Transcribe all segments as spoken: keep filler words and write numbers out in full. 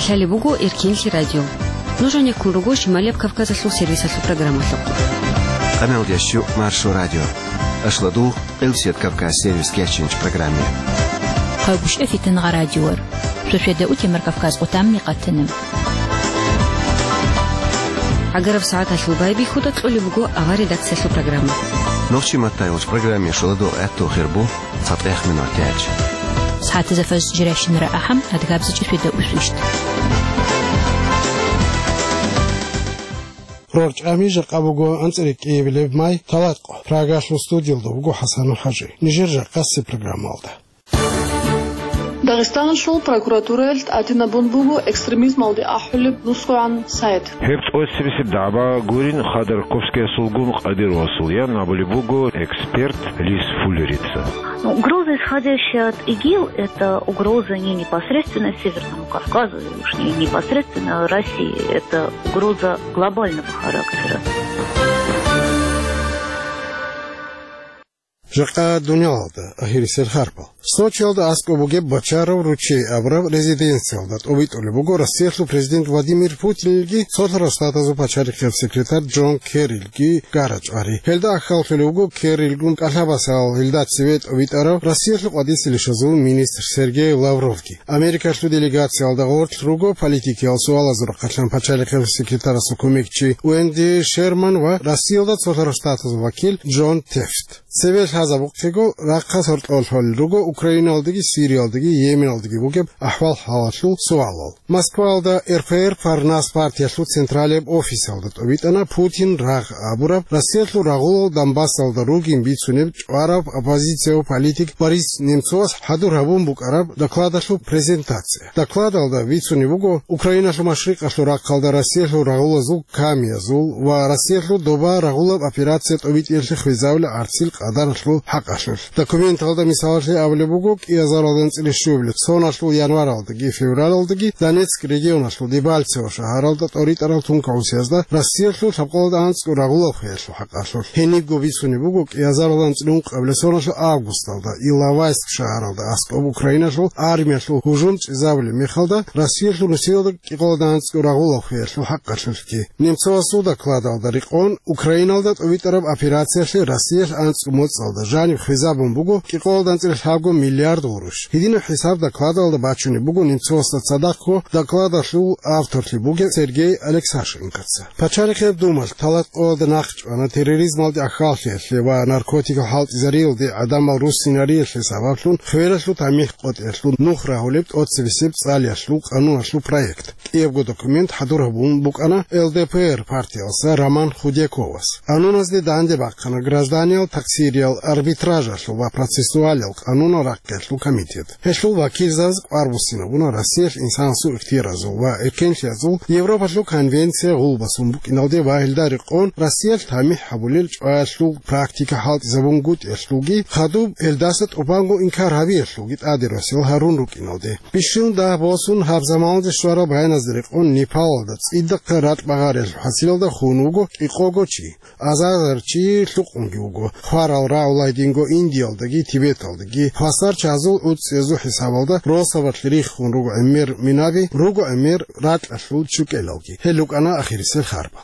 Лъалеб буго Эркенлъи радио. Нуж гьанеккун руго Шималияб Кавказалъул сервисалъул программалъухъ. Къамелдящу Маршо радио. Ашладу Къилсият Кавказ сервис кечинч программе. Къайгушев Фитангъа радиор. Шошеда утемар Кавказ отамни къатанем. Агараб сагӀаталъул байбихьуда кьолеб буго авар редакциялъул программа. Нохчи маттайгъуч программе шуладу гӀатту хирбу. ЦатӀехъ минутач. СагӀатазда фажр жиращинара ахӀам, адгабзичӀеб фида усвищ. РорчӀами жакъа буго анцӀила кӀиабилеб май, талат къо. Прагалъул студиялда вуго ХӀасану ХӀажи. Нижер жакъасеб программалда. Дагъистаналъул прокуратураялъ тӀадинабун буго экстремизмалде ахӀулеб нусгогӀан сайт. Гьеб тӀоцебесеб дагӀба гурин Ходорковскиясулгун Къадировасул, ян абулеб буго эксперт Лиз Фуллерица. Ну, угроза, исходящая от ИГИЛ, это угроза не непосредственно Северному Кавказу, и уж не непосредственно России. Это угроза глобального характера. Жакъа дуниялалда агьирисел харпал. Сочиялда аскӀоб бугеб Бочаров ручей абураб резиденциялда тӀобитӀулеб буго Россиялъул президент Владимир Путинилги цолъарал штатазул пачалихъияб секретарь Джон Керрилги гара-чӀвари. Гьелда ахӀаллъулев вуго Керрилгун кӀалъабасал гьелда цеве тӀобитӀарав Россиялъул къватӀисел ишазул министр Сергей Лавровги. Америкалъул делегациялда гъорлъ руго политикиял суалазул рахъалъан пачалихъияб секретарасул кумекчи Уэнди Шерман ва Россиялда цолъарал штатазул вакил Джон Тефт. Цеве лъазабухъего, рахъалъ гьоркьоб лъолел руго Украиналдаги, Сириялдаги, Йеменалдаги бугеб ахӀвал-хӀалалъул суалал. Москваялда РПР Парнас партиялъул централияб офисалда тӀобитӀана Путин рагъ абураб Россиялъул рагъулал Донбассалда ругин бицунеб чӀвараб оппозицияб политик Борис Немцовас хӀадур гьабун букӀараб докладалъул презентация. Докладалда бицунеб буго Украиналъул машрикъалъул рахъалда Россиялъул рагъулазул камиязул ва Россиялъул доба рагъулаб операция тӀобитӀиялъе хвезавулеб гӀарцил къадаралъул хӀакъалъулъ. Документалда мисалалъе абулеб буго, кӀиазаралда анцӀила щуабилеб соналъул январалдаги февралалдаги Донецк регионалъул Дебальцево шагьаралда тӀоритӀарал тункал гӀусиязда Россиялъул лъабкъоялда анцӀго рагъулаб хвеялъул хӀакъалъулъ. Гьенибго бицунеб буго кӀиазаралда анцӀила ункъабилеб соналъул августалда Иловайск шагьаралда аскӀоб Украиналъул армиялъул гьужум чӀезабулеб мехалда Россиялъул нусиялда кӀикъоялда анцӀго рагъулаб хвеялъул хӀакъалъулъги. Немцовасул докладалда рекъон, Украиналда тӀобитӀараб операциялъе Россиялъ анцӀго моцӀалда жаниб хвезабун буго кӀикъоялда анцӀила лъабго миллиард гъурущ. Гьединаб хӀисаб докладалда бачунеб буго Немцовасда цадахъго докладалъул авторлъи бугев Сергей Алексашенкоца. Пачалихъияб Думалъ талатӀкъоялда нахъчӀвана терроризмалде ахьаллъиялъе ва наркотикал хӀалтӀизариялде гӀадамал руссинариялъе сабаблъун хвелалъул тамихӀ къотӀиялъул нух рагьулеб тӀоцебесеб цӀалиялъул къануналъул проект. КӀиябго документ хӀадур гьабун букӀана ЛДПР партиялса Роман Худяковас. Къануназде данде бахъана гражданиял таксириял арбитражалъул ва процессуалиял къанунал рахъиялъул комитет. Гьелъул вакилзабаз кӀвар буссинабуна Россиялъ инсанасул ихтияразул ва эркенлъиязул Европалъул конвенция гъулбасун букӀиналде ва гьелда рекъон Россиялъ тамихӀ гьабулел чӀваялъул практика хӀалтӀизабунгутӀиялъулги, хадуб гьелдаса тӀубанго инкар гьабиялъулги тӀаде росиялъ гьарун рукӀиналде. Бищун дагь босун гьаб заманалде щварал байназда рекъон Непалалда цӀидахъа ракь багъариялъул хӀасилалда хун вуго кӀикъого чи. Азарзар чи лъукъунги вуго. Хварал рагӀула гьединго Индиялдаги, Тибеталдаги. Хвасар чазул уцӀцӀиязул хӀисабалда росабалъ риххун руго гӀемер минаби, руго гӀемер ракьалъул чукӀелалги. Гьел рукӀана ахирисел харба.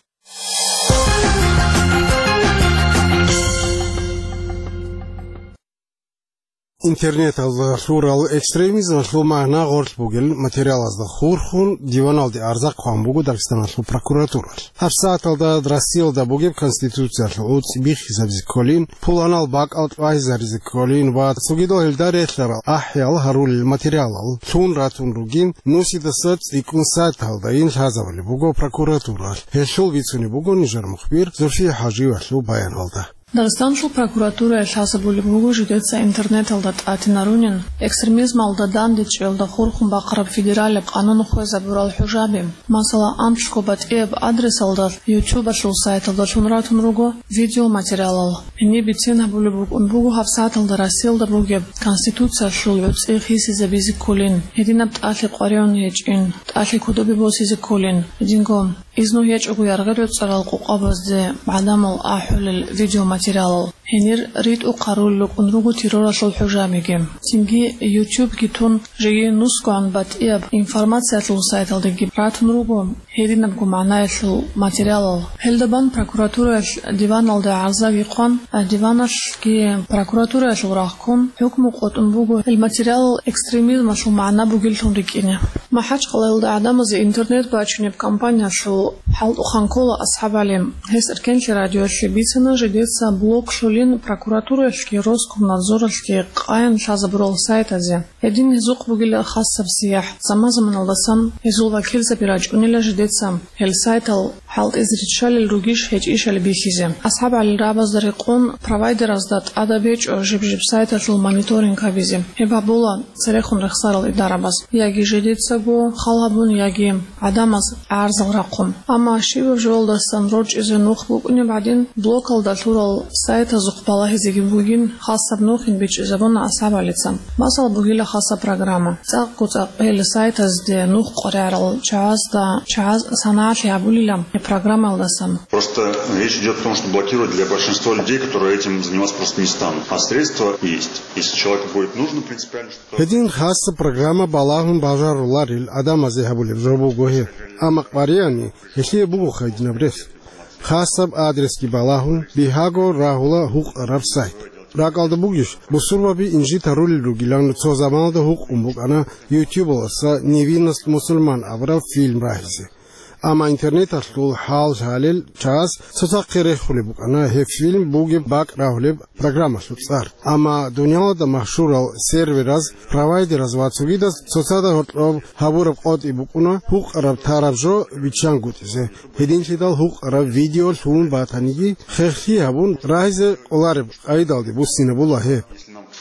Интернеталда лъурал экстремизмалъул магӀна гъорлъ бугел материалазда хурхун диваналде арза хъван буго Дагъистаналъул прокуратуралъ. ГьабсагӀаталда Россиялда бугеб Конституциялъул уцӀцӀи биххизабизе кколин, пуланал бакӀал тӀвайзаризе кколин ва цогидал гьелда релълъарал ахӀиял гьарулел материалал лъун ратун ругин, нусидаса цӀикӀкӀун сайталдайин лъазабулеб буго прокуратуралъ. Гьелъул бицунеб буго нижер мухбир Зульфия ХӀажиевалъул баяналда. Дагъистаналъул прокуратуралъ лъазабулеб буго жидеца интернеталда тӀатинарунин экстремизмалда дандечӀиялда хурхун бахъараб федералияб къанун хвезабурал хӀужаби. Масала, анцӀго батӀияб адресалда, ютубалъул сайталда лъун ратун руго видеоматериалал. Гьениб бицен гьабулеб букӀун буго гьабсагӀаталда Россиялда бугеб Конституциялъул гӀуцӀи хисизабизе кколин, гьединаб тӀалъи къваригӀун гьечӀин, тӀалъи кодобе босизе кколин, гьединго изну гьечӀого яргъи-реццарал къокъабазде гӀадамал ахӀулел видеоматериалал. Гьенир ритӀухъ гьарулел рукӀун руго терроралъул хӀужумги. Цинги YouTube-ги тун, жеги нусгогӀан батӀияб информациялъул сайталдеги ратун руго гьединабго магӀнаялъул материалал. Гьелда бан прокуратураялъ диваналде гӀарзаги хъван, а диваналъги прокуратураялъул рагъ ккун, хӀукму къотӀун буго гьел материалал экстремизмалъул магӀна бугеллъун рикӀкӀине. МахӀачкъалаялда гӀадамазе интернет бачунеб компаниялъул хӀалтӀухъан ккола АсхӀаб ГӀали. Гьес Эркенлъи радиоялъе бицана жидеца блоклъулин прокуратураялъги Роскомнадзоралъги къаян лъазабурал сайтазе. Гьедин гьезухъ бугила хасаб сияхӀ. Заман-заманалдасан гьезул вакилзаби рачӀунила жидеца гьел сайтал хӀалтӀизе риччалел ругищ гьечӀищали бихьизе. АсхӀаб ГӀалил рагӀабазда рекъон провайдеразда тӀадаб гьечӀо жиб-жиб сайталъул мониторинг гьабизе. Гьеб гьабула церехун рехсарал идарабаз, яги жидецаго хал гьабун, яги гӀадамаз гӀарзал рахъун. Амма щибаб жоялдасан рорчӀизе нух букӀунеб гӀадин, блокалда лъурал сайтазухъ балагьизеги бугин, хасаб нухин бичӀчӀизабуна АсхӀаб ГӀалица. Масал бугила хасаб программа. ЦӀакъго-цӀакъ гьел сайтазде нух къваригӀарал чагӀазда, чагӀаз санагӀалъи гьабулила гьеб программаялдасан. Просто речь идёт о том, что блокировать для большинства людей, которые этим заниматься просто не станут. А средства есть. Если человеку будет нужно принципиально что-то... Гьедин хасаб программа балагьун бажаруларел гӀадамазе гьабулеб жо буго гьеб. Амма къваригӀани, гьелъие буго гьединаб рес. Хасаб адресги балагьун, бигьаго рагьула гьукъараб сайт. РакӀалда бугищ, бусурбаби инжит гьарулел ругилан цо заманалда гьукъун букӀана YouTube-алдаса «Невинность мусульман» абураб фильм рагьизе. Амма интернеталъул хӀал лъалел чагӀаз цоцахъе рехулеб букӀана гьеб фильм бугеб бакӀ рагьулеб программалъул цӀар. Амма дуниялалда машгьурал сервераз, провайдераз ва цогидаз цоцазда гьоркьоб гьабураб къотӀи букӀуна гьукъараб тараб жо виччангутӀизе. Гьединлъидал гьукъараб видео лъугьун батаниги, хехлъи гьабун, рагьизе кӀолареб къайдалде буссинабула гьеб.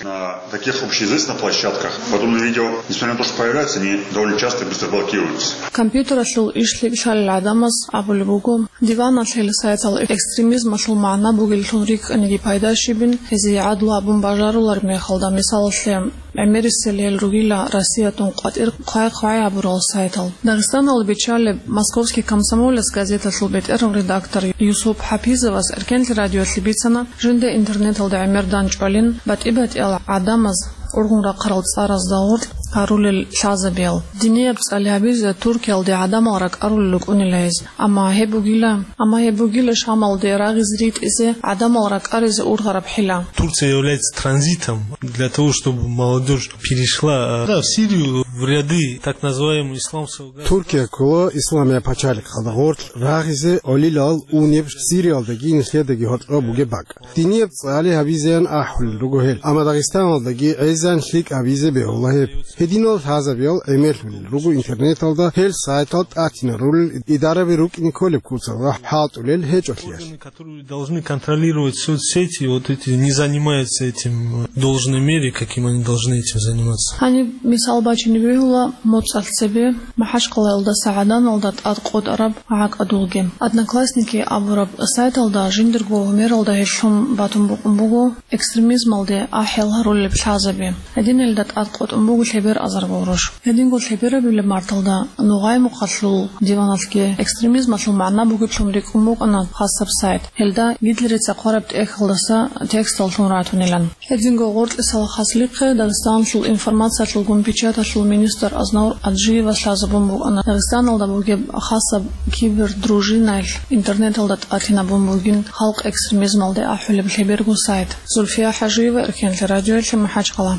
На таких общеизвестных площадках подобные видео, несмотря на то, что появляются, они довольно часто и быстро блокируются. Компьютералъул иш лъикӀлъалел гӀадамаз абулеб буго, диваналъ гьел сайтал экстремизмалъул магӀна бугеллъун рикӀкӀаниги пайда щибин, гьезие гӀадлу гьабун бажарулареб мехалда, мисалалъе, гӀемерисел гьел ругила Россиятун къватӀир хъвай-хъвай гьабурал сайтал. Дагъистаналда биччалеб «Московский комсомолец» газеталъул бетӀерав редактор Юсуп ХӀапизовас Эркенлъи радиоялъе бицана, жинда интернеталда гӀемер данчӀвалин, батӀи-батӀиял гӀадамаз ургъун рахъарал цӀаразда гъоркь гьарулел лъазабиял. Динияб цӀали гьабизе Туркиялде гӀадамал ракӀарулел рукӀунила гьез. Амма гьеб бугила, амма гьеб бугила Шамалде рагъизе ритӀизе, гӀадамал ракӀаризе ургъараб хӀила. Турция является транзитом для того, чтобы молодёжь перешла, а, да, в Сирию, в ряды так называемого исламского государства. Туркия ккола Исламияб пачалихъалда гъоркь рагъизе гӀолилал унеб Сириялдаги нилъедаги гьоркьоб бугеб бакӀ. Динияб цӀали гьабизеян ахӀулел руго гьел, амма Дагъистаналдаги гӀезегӀан лъикӀ гьабизе бегьула гьеб. Гьединал лъазабиял гӀемерлъулел руго интернеталда гьел сайтал тӀатинарулел идараби рукӀине кколеб куцалда хӀалтӀулел гьечӀолъиялъ. Которые должны контролировать соцсети, вот эти не занимаются этим в должной мере, каким они должны этим заниматься. Гьаниб мисал бачине бегьула моцӀалъ цебе МахӀачкъалаялдаса ГӀаданалда тӀад къотӀараб гӀакӀадулги. «Одноклассники» абураб сайталда жиндирго гьумералда гьелъун батун букӀун буго экстремизмалде ахӀел гьарулеб лъазаби. Гьединелда тӀад къотӀун буго лъебер азарго гъурущ. Гьединго лъеберабилеб марталда Нугъай-Мухъалъул диваналъги экстремизмалъул магӀна бугеблъун рикӀкӀун букӀана хасаб сайт. Гьелда Гитлерица хъвараб тӀехьалдаса текстал лъун ратунилан. Гьединго гъоркьисал хаслихъе Дагъистаналъул информациялъулгун печаталъул министр Азнавур Аджиевас лъазабун букӀана Дагъистаналда бугеб хасаб кибердружинаялъ интернеталда тӀатинабун бугин халкъ экстремизмалде ахӀулеб лъеберго сайт. Зульфия ХӀажиева, Эркенлъи радиоялъе, МахӀачкъала.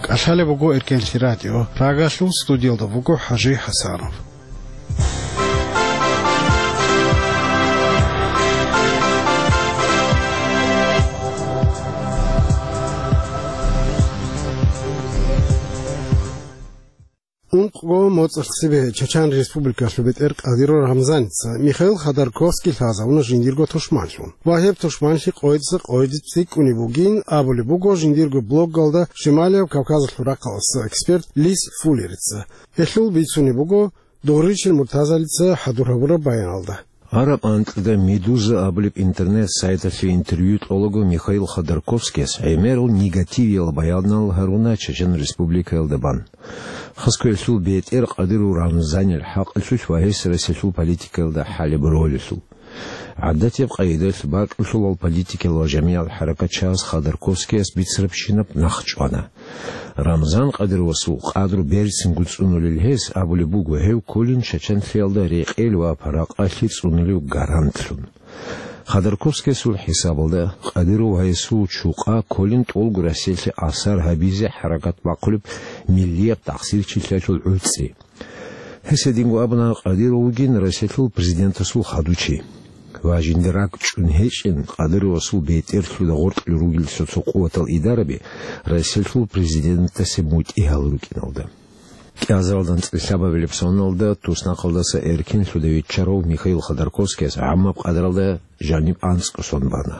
КӀалъалеб буго Эркенлъи радио. Прагалъул студиялда вуго ХӀажи ХӀасанов. Ункъго моцӀалъ цебе Чачан Республикалъул бетӀер Кадыров Рамзаница Михаил Ходорковский лъазавуна жиндирго тушманлъун. Ва гьеб тушманлъи къойдаса къойде цӀикӀкӀунеб бугин абулеб буго жиндирго блоггалда Шималияб Кавказалъул рахъалъулъ эксперт Лис Фуллерица. Гьелъул бицунеб буго Дугъричил Муртазалица хӀадур гьабураб баяналда. Араб анкьда «Медуза» абулеб интернет-сайталъе интервью кьолаго Михаил Ходорковскияс гӀемерал негативиял баянал гьаруна Чечен Республикаялда бан. Хасго гьелъул бетӀер Кадыров Рамзанил хӀакъалъулъ ва гьес Россиялъул политикаялда хӀалеб ролалъул. ГӀадатияб къайдалъ бакӀулъулал политикал ва жамигӀал хӀаракатчияс Ходорковскияс бицарабщинаб нах чӀвана. Рамзан Кадыровасул къадру берцинго цӀунулел гьес абулеб буго, гьев кколин чачанлъиялда рекъел ва паракъалъи цӀунулев гарантлъун. Ходорковскиясул хӀисабалда, Кадыров ва гьесул чукъа кколин тӀолго Россиялъе асар гьабизе хӀаракат бахъулеб миллияб тахсирчилъиялъул гӀуцӀи. Гьес гьединго абуна, Кадыров вугин Россиялъул президентасул хадучи. Ва жиндир ракӀ чӀун гьечӀин, Кадыровасул бетӀерлъуда гъоркье ругел цо-цо къуватал идараби Россиялъул президентасе мутӀигьал рукӀиналда. КӀиазаралда анцӀила лъабабилеб соналда туснахъалдаса эркенлъуда виччарав Михаил Ходорковскияс гӀаммаб къадралда жаниб анцӀго сон бана.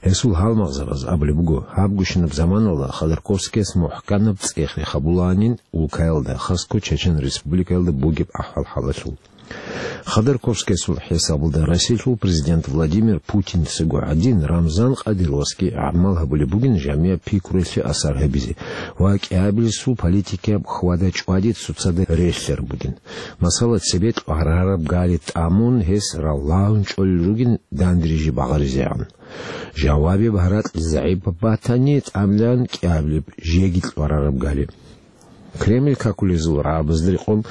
Гьесул гьалмагъзабаз абулеб буго, гьабгощинаб заманалда Ходорковскияс мухӀканаб цӀех-рех гьабулаанин улкаялда, хасго Чечен Республикаялда бугеб ахӀвал-хӀалалъул. Ходорковскиясул хӀисабалда, Россиялъул президент Владимир Путинцаго гӀадин, Рамзан Кадыровасги гӀамал гьабулеб бугин жамигӀаб пикруялъе асар гьабизе ва кӀиабилесул политикаяб хьвада-чӀвади цоцазда релълъараб бугин. Масала, цебе лъварараб гали тӀамун, гьес раллагьун чӀолел ругин дандриже багъаризегӀан. Жавабияб гьаракь загӀипаб батани, тӀамилан кӀиабилеб жеги лъварараб гали. Кремль какулезул рагӀабазда рекъон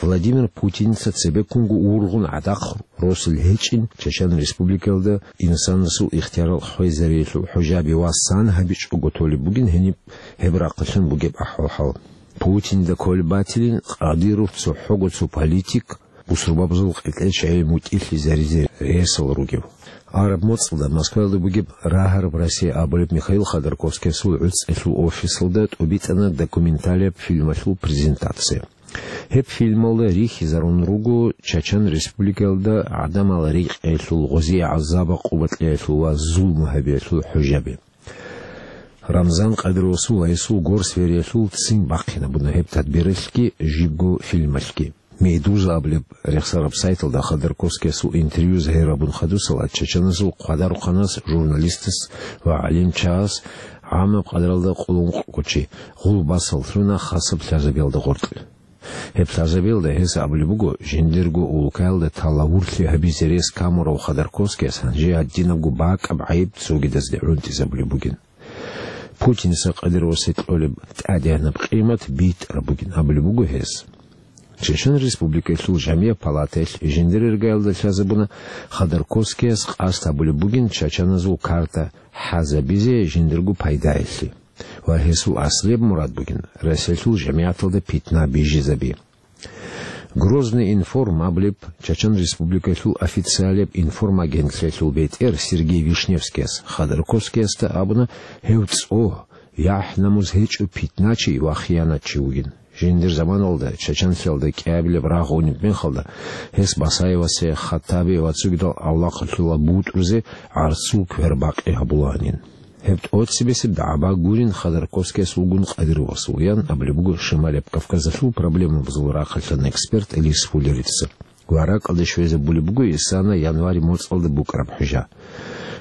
Владимир Путинца цебеккунго ургъун гӀадахъ росулел гьечӀин Чечен Республикаялда инсанасул ихтиярал хвезариялъул хӀужаби ва сан гьабичӀого толеб бугин гьениб гьеб рахъалъан бугеб ахӀвал-хӀал. Путинда кколеб батилин Кадыров цохӀого цо политик, бусурбабазул къеркьечӀей мутӀигьлъизаризе ресал ругев. Араб моцӀалда Москваялда бугеб «Рагьараб Россия» абулеб Михаил Ходорковскиясул гӀуцӀелъул офисалда тӀубитӀана документалияб фильмалъул презентация. Гьеб фильмалда рихьизарун руго Чачан Республикаялда гӀадамал рекъиялъул, гъозие гӀазаб-къуват кьеялъул ва зулму гьабиялъул хӀужаби. Рамзан Кадыровасул ва гьесул горсвериялъул ццин бахъинабуна гьеб тадбиралъги жибго фильмалъги. «Медуза» абулеб рехсараб сайталда Ходорковскиясул интервью загьирабун хадусала, чачаназул хъвадарухъанас, журналистас ва гӀалимчагьас гӀамаб къадралда къулункъго чи гъулбасал лъуна хасаб лъазабиялда гъоркье. Гьеб лъазабиялда гьес абулеб буго, жиндирго улкаялда талавурлъи гьабизе рес камурав Ходорковскияс гьанже гьадинабго бакӀаб гӀайиб цогидазде гӀунтӀизабулеб бугин. Путинца Кадыровасе кьолеб тӀадегӀанаб къимат битӀараб бугин абулеб буго гьес. Чечен Республикаялъул Жамияб палатаялъ жиндир иргаялда лъазабуна, Ходорковскияс къасд гьабулеб бугин чачаназул карта хӀазабизе жиндирго пайдаялъе. Ва гьесул аслияб мурад бугин Россиялъул жамигӀаталда питна бижизаби. «Грозный информ» абулеб Чачан Республикаялъул официалияб информагентлъиялъул бетӀер Сергей Вишневскияс Ходорковскиясда абуна, гьев цӀогь, яхӀ-намус гьечӀев питначи ва хиянатчи вугин. Жиндир заманалда чачанлъиялда кӀиабилеб рагъ унеб мехалда, гьес Басаевасе, Хаттабе ва цогидал авлахъалъула бутӀрузе гӀарцул квербакъи гьабулаанин. Гьеб тӀоцебесеб дагӀба гурин Ходорковскияс вугун Кадыровасул, ян абулеб буго Шималияб Кавказалъул проблемабазул рахъалъан эксперт Лис Фуллерица. Ва ракӀалде щвезабулеб буго исана январь моцӀалда букӀараб хӀужа.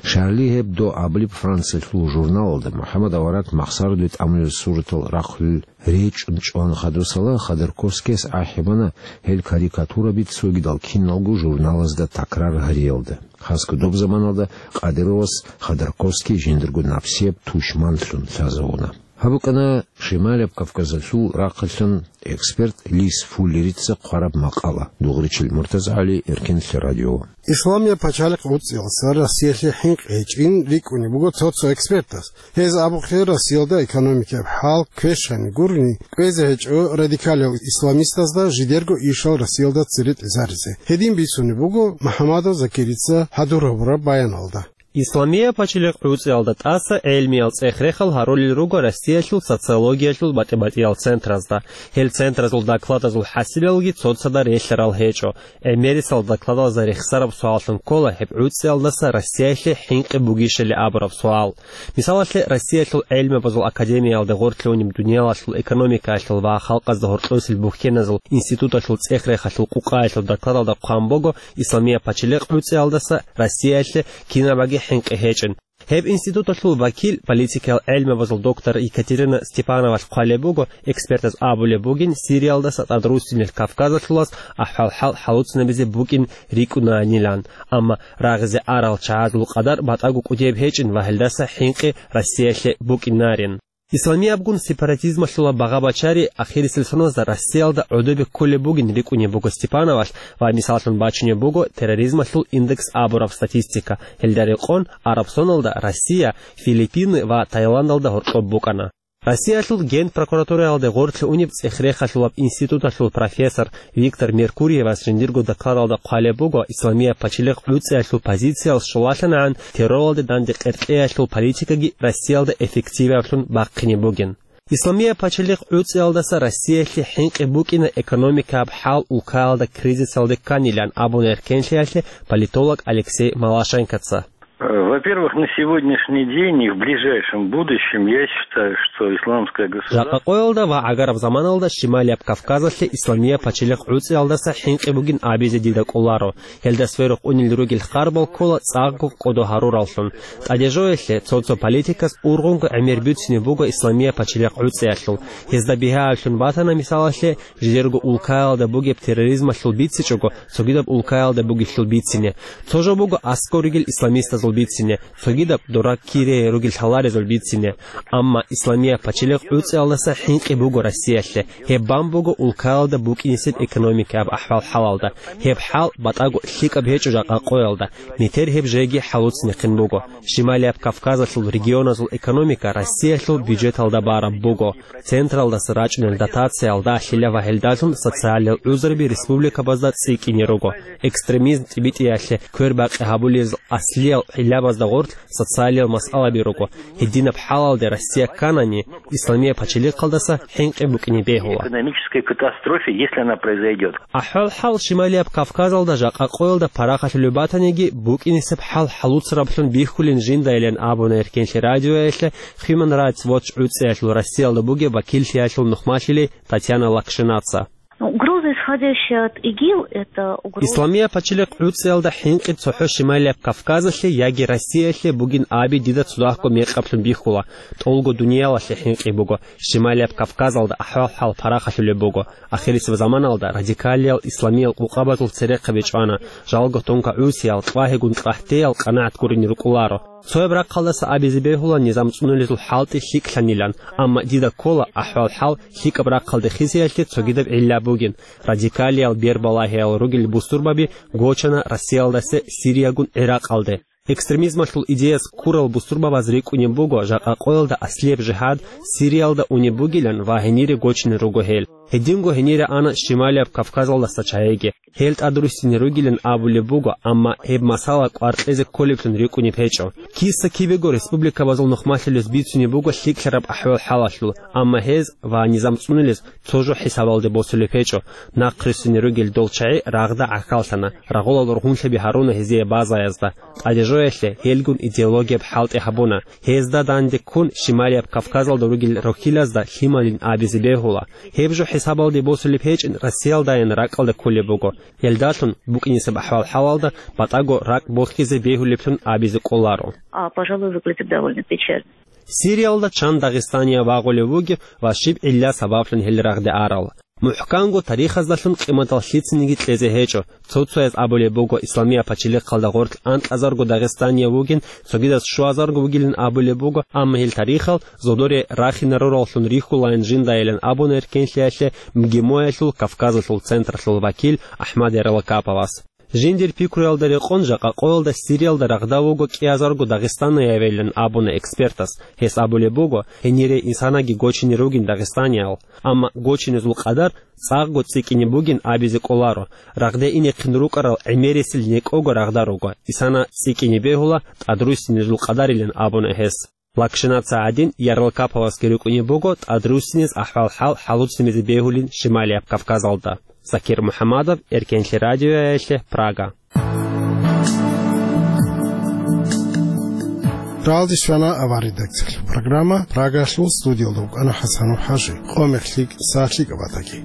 Шарли Гьебдо абулеб Франциялъул журналалда МухӀаммад авараг махсараде тӀамулел суратал рахъулел речӀун чӀван хадусала, Ходорковскияс ахӀи бана гьел карикатураби цогидал киналго журналазда такрар гьариялда. Хасго доб заманалда Кадыровас Ходорковский жиндирго напсияб тушманлъун лъазавуна. Гьаб букӀана Шималияб Кавказалъул рахъалъан эксперт Лис Фуллерица хъвараб макъала. Дугъричил МуртазагӀали, Эркенлъи радио. Исламияб пачалихъ уцӀцӀиялдаса Россиялъе хӀинкъи гьечӀин рикӀкӀунеб буго цо-цо экспертас. Гьез абухъе, Россиялда экономикаяб хӀал квешани гурони кӀвезе гьечӀо радикалиял исламистазда жидерго ишал Россиялда цере тӀезаризе. Гьедин бицунеб буго МухӀаммадов Закирица хӀадур гьабураб баяналда. Исламия пачалихъ гӀуцӀиялда тӀаса гӀелмиял цӀех-рехал гьарулел руго Россиялъул социологиялъул батӀи-батӀиял центразда. Гьел центразул докладазул хӀасилалги цоцазда релълъарал гьечӀо. ГӀемерисел докладазда рехсараб суаллъун ккола гьеб гӀуцӀиялдаса Россиялъе хӀинкъи бугищали абураб суал. Мисалалъе, Россиялъул гӀелмабазул академиялде гъорлъ унеб дуниялалъул экономикаялъул ва халкъазда гьоркьосел бухьеназул институталъул цӀех-рехалъул къукъаялъул докладалда хъван буго, Исламия пачалихъ гӀуцӀиялдаса Россиялъе кинабаги хӀинкъи гьечӀин. Гьеб институталъул вакил, политикиял гӀелмабазул доктор Екатерина Степановалъ хъвалеб буго, экспертаз абулеб бугин, Сириялдаса тӀадруссинел Кавказалъулас ахӀвал-хӀал хӀалуцинабизе букӀин рикӀкӀунаанилан, амма рагъизе арал чагӀазул къадар батӀаго кӀудияб гьечӀин ва гьелдаса хӀинкъи Россиялъе букӀинарин. Исламиябгун сепаратизмалъула багъа-бачари ахирисел соналда Россиялда гӀодобе кколеб бугин рикӀкӀунеб буго Степановалъ ва мисаллъун бачунеб буго терроризмалъул индекс абураб статистика. Гьелда рекъон, араб соналда Россия, Филиппины ва Таиландалда гьоркьоб букӀана. Россиялъул Генпрокуратураялде гъорлъ унеб цӀех-рехалъулаб институталъул профессор Виктор Меркурьевас жиндирго докладалда хъвалеб буго, Исламия пачалихъ гӀуцӀиялъул позициял щолалъанагӀан терроралде данде къеркьеялъул политикаги Россиялда эффективаблъун бахъине бугин. Исламия пачалихъ гӀуцӀиялдаса Россиялъе хӀинкъи букӀина экономикаб хӀал улкаялда кризисалде кканилан абуна эркенлъиялъе политолог Алексей Малашенкоца. Во-первых, на сегодняшний день и в ближайшем будущем я считаю, что исламское государство... Жакъа къоялда ва гӀагараб заманалда Шималияб Кавказалъе Исламия пачалихъ гӀуцӀиялдаса хӀинкъи бугин абизе дида кӀоларо. Гьелда сверухъ унел ругел харбал ккола цӀакъго кӀодо гьарураллъун. ТӀадежоялъе цо-цо политикас ургъунго гӀемер бицине буго Исламия пачалихъ гӀуцӀиялъул. Гьезда бигьаялъун батана, мисалалъе, жидерго улкаялда бугеб терроризмалъул бицичӀого, цогидаб улкаялда бугелъул бицине. Цо жо буго аскӀор ругел исламистазул бицине, цогидаб дора кире ругел лъаларезул бицине. Амма Исламия пачалихъ гӀуцӀиялдаса хӀинкъи буго Россиялъе. Гьеб бан буго улкаялда букӀинисеб экономикаяб ахӀвал-хӀалалда. Гьеб хӀал батӀаго лъикӀаб гьечӀо жакъа къоялда. Метер гьеб жеги хӀалуцинехъин буго. Шималияб Кавказалъул регионазул экономика Россиялъул бюджеталда бараб буго. Централдаса рачӀунел дотациялда лъила ва гьелдалъун социалиял гӀузраби республикабазда цӀикӀкӀине руго. Экстремизм тӀибитӀиялъе квербакъи гьабулезул аслиял гӀиллабазда гъорлъ социалиял масъалаби руго. Гьединаб хӀалалде Россия кканани, Исламия пачалихъалдаса хӀинкъи букӀине бегьула. Экономической катастрофе, если она произойдёт. АхӀвал-хӀал Шималияб Кавказалда жакъа къоялда парахалъулеб батаниги, букӀинисеб хӀал хӀалуцараблъун бихьулин жиндайилан абуна эркенлъи радиоялъе Human Rights Watch гӀуцӀиялъул Россиялда бугеб вакиллъиялъул нухмалъили Татьяна Лакшинаца. Ну, угроза, исходящая от ИГИЛ, это угроза... Исламия пачалихъ гӀуцӀиялда хӀинкъи цохӀо Шималияб Кавказалъе яги Россиялъе бугин аби дида цадахъго мекъаблъун бихьула. ТӀолго дуниялалъе хӀинкъи буго. Шималияб Кавказалда ахӀвал-хӀал парахалъулеб буго. Ахирисеб заманалда радикалиял исламиял къукъабазул церехъаби чӀвана. Жалго тонкогӀусиял, кьвагьигун кьахӀтеял къанагӀат гурине рукӀуларо. Цояб рахъалдаса абизе бегьула низам цӀунулезул хӀалтӀи лъикӀлъанилан, амма дида ккола ахӀвал-хӀал лъикӀаб рахъалде хисиялъе цогидаб гӀилла бугин. Радикалиял бербалагьиял ругел бусурбаби гочана Россиялдаса Сириягун ГӀиракъалде. Экстремизмалъул идеяс ккурал бусурбабаз рикӀкӀунеб буго жакъа къоялда аслияб жигьад Сириялда унеб бугилан ва гьенире гочине руго гьел. Гьединго гьенире ана Шималияб Кавказалдаса чагӀиги. Гьел тӀадруссине ругилан абулеб буго, амма гьеб масала кӀвар кьезе кколеблъун рикӀкӀунеб гьечӀо. Киса-кибего республикабазул нухмалъулес бицунеб буго лъикӀлъараб ахӀвал-хӀалалъул, амма гьез ва низам цӀунулес цо жо хӀисабалде босулеб гьечӀо. Нахъруссине ругел дол чагӀи рагъда гӀахьаллъана, рагъулал рогьунлъаби гьаруна гьезие базаязда. ТӀадежоялъе гьелгун идеологияб хӀалтӀи гьабуна. Гьезда данде ккун Шималияб Кавказалда ругел рохьилазда лъималин абизе бегьула. Гьеб жо хӀисабалде босулеб гьечӀин Россиялдайин ракӀалде кколеб буго. Гьелдалъун букӀинисеб ахӀвал-хӀалалда батӀаго ракӀ бохьизе бегьулеблъун абизе кӀоларо. А, пожалуй, выглядит довольно печально. Сириялда чан Дагъистания вагъулев вугев ва щиб гӀилла сабаблъун гьел рагъде арал? МухӀканго тарихаздалъун къиматал лъицаниги кьезе гьечӀо. Цо-цояз абулеб буго, Исламия пачалихъалда гъорлъ анкьазарго Дагъистания вугин, цогидаз щуазарго вугилин абулеб буго, амма гьел тарихал зодоре рахинарураллъун рихьулаан жиндайилан абуна эркенлъиялъе МГИМОялъул Кавказалъул централъул вакил Ахмад Ярлакаповас. Жиндир пикруялда рекъон жакъа къоялда Сириялда рагъда вуго кӀиазарго дагъистаниявилан абуна экспертас. Гьес абулеб буго, гьенире инсанаги гочине ругин дагъистаниял, амма гочинезул къадар цӀакъго цӀикӀкӀине бугин абизе кӀоларо. Рагъде инехъин рукӀарал гӀемерисел некӀого рагъда руго. Исана цӀикӀкӀине бегьула тӀадруссинезул къадарилан абуна гьес. Лакшинатца гӀадин, Ярлкаповасги рукӀунеб буго тӀадруссинез ахӀвал-хӀал хӀалуцинезе бегьулин Шималияб Кавказалда. Закир МухӀаммадов, Эркенлъи радиоялъе, Прага. Ралдис вана авар редакциялъул программа, Прагалъул студиялда вукӀана ХӀасанов ХӀажи, къомехлъи сахлъи кӀабатаги.